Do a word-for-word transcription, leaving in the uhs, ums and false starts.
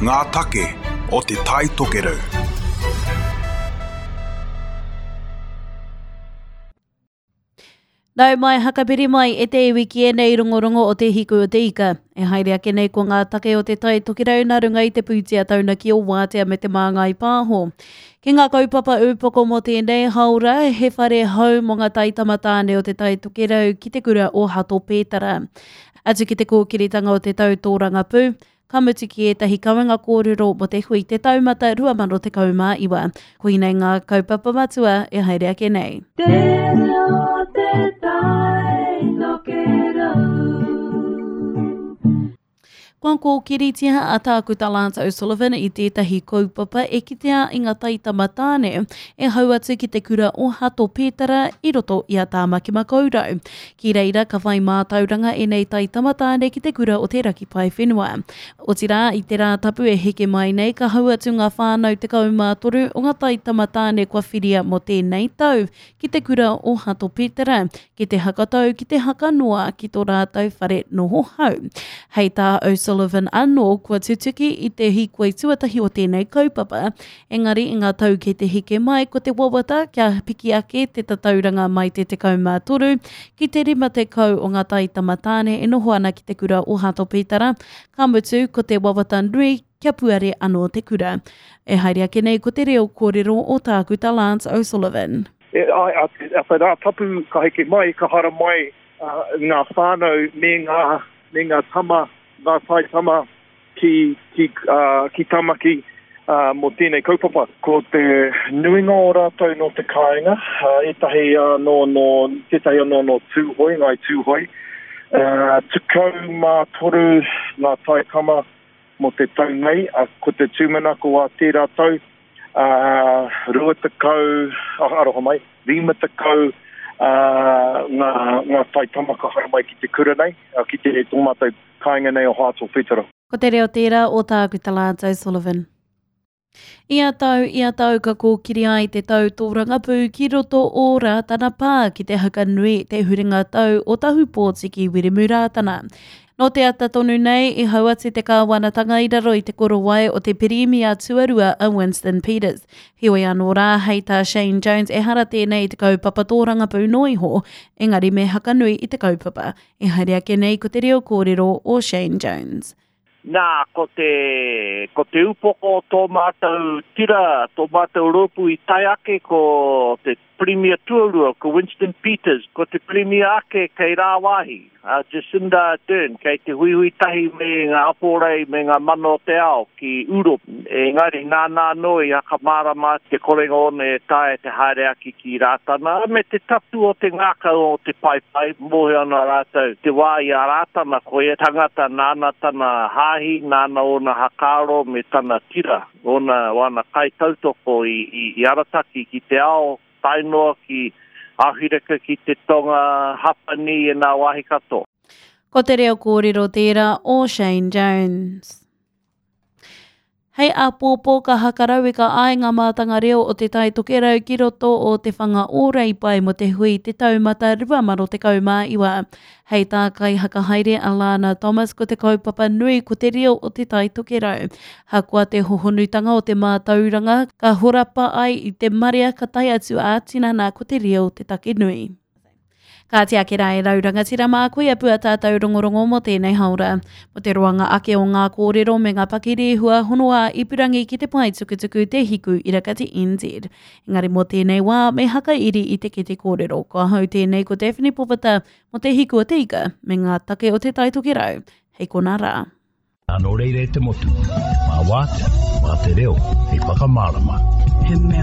Ngā take o Te Tai Tokerau. Nau mai hakapiri mai e te iwi ki ēnei rongorongo o Te Hiku o Te Ika. E haere ake nei ko ngā take o Te Tai Tokerau nā runga i te pūtea taunaki o Wātea me te Māngai Pāho. Ki ngā kaupapa ūpoko mō tēnei haora, he whare hou mō ngā taitama tāne o Te Tai Tokerau ki te kura o Hato Pētara. Atu ki te kōkiritanga o te tau tōrangapū, ka mutu ki ētahi kawenga kōrero mō te hui Te Taumata rua mano tekau mā iwa. Koinei ngā kaupapa matua e haere ake nei. Te reo te tai tokerau. Kua kōkiritia a Tākuta Lance O'Sullivan i tētahi kaupapa e kitea i ngā taitama tāne e hau atu ki te kura o Hato Pētara i roto i a Tāmaki Makaurau. Ki reira ka whai mātauranga ēnei taitama tāne ki te kura o Te Raki Paewhenua. Otirā, i te rā tapu e heke mai nei ka hau atu ngā whānau tekau mā toru o ngā taitama tāne kua whiria mō tēnei tau ki te kura o Hato Pētara, ki te hakatau, ki te hakanoa, ki tō rātou whare noho hau. Hei tā O'Sullivan anō kua tutuki i te hīkoi tuatahi o tēnei kaupapa, engari i ngā tau kei te heke mai ko te wawata kia piki ake te tatauranga mai te tekau mā toru ki te rima tekau o ngā taitama tāne e noho ana ki te kura o Hato Pētara, ka mutu ko te wawata nui kia puare anō te kura. E haere ake nei ko te reo kōrero o Tākuta Lance O'Sullivan. E, ai, a, a te rā tapu ka heke mai, ka hara mai uh, ngā whānau me ngā, me ngā tama, ngā taitama ki, ki, uh, ki Tamaki uh, mō tēnei kaupapa. Ko te nuinga o rātou nō te kāinga, uh, ētahi anō nō, tētahi anō nō Tūhoe, Ngāi Tūhoe. Uh, tekau mā toru ngā taitama mō te tau nei, uh, ko te tūmanako a tērā tau, uh, rua tekau, oh, aroha mai, rima tekau uh, ngā, ngā taitama ka haere mai ki te kura nei, uh, ki te tō mātou kāinga nei o Hato Pētara. Ko te reo tērā o Tākuta Lance O'Sullivan. Ia tau, ia tau ka kōkiri ai te tau tōrangapū ki roto o Rātana Pā ki te hakanui te huringa tau o Tahupōtiki Wiremu Rātana. Nō te ata tonu nei i hau atu te kāwanatanga i raro i te korowai o te Pirimia tuarua a Winston Peters. Heoi anō rā, hei tā Shane Jones, ehara tēnei i te kaupapa tōrangapū noa iho, engari me hakanui i te kaupapa. E haere ake nei ko te reo kōrero o Shane Jones. Nā, ko te, ko te upoko o tō mātou tira, tō mātou rōpū i tae ake ko te Premier tuarua, ko Winston Peters, ko te Premier ake kei rāwāhi, a Jacinda Ardern, kei te huihui tahi me ngā aporei me ngā mana o te ao ki Europe. Engari nāna anō i hakamārama te korenga ona e taea te haere ake ki Rātana, me te tapu o te ngākau o te paepae, mōhio ana rātou te wā i a Rātana, ko ia tangata nāna tana hāhi, nāna ōna hakaaro me tana tira, ōna wana kaitautoko i, i, i arataki ki te ao, tae noa ki Ahureka, ki te Tonga, Hapani e ngā wāhi katoa. Ko te reo kōrero tērā o Shane Jones. Hei āpōpō ka hakarauika ai ngā mātanga reo o Te Tai Tokerau ki roto o Te Whanga o Reipae mō te hui Te Taumata rua mano tekau mā iwa. Hei tā kaihakahaere a Lana Thomas ko te kaupapa nui ko te reo o Te Tai Tokerau. Hakoa te hohonutanga o te mātauranga, ka horapa ai i te marea ka tae atu ā-tinana ko te reo te take nui. Kāti ake rā e rau rangatira mā, koia pua tātou rongorongo mō tēnei haora. Mō te roanga ake o ngā kōrero me ngā pakirehua hono ā ipurangi ki te pae tukutuku Te Hiku Irakati N Z. Engari mō tēnei wā, me hakairi i te kete kōrero. Ko ahau tēnei ko Daphne Popata mō Te Hiku o Te Ika me ngā take o Te Tai Tokerau. Hei kona rā. Nā nō reira e te motu, mā wātea, mā te reo, hei whakamārama. He mea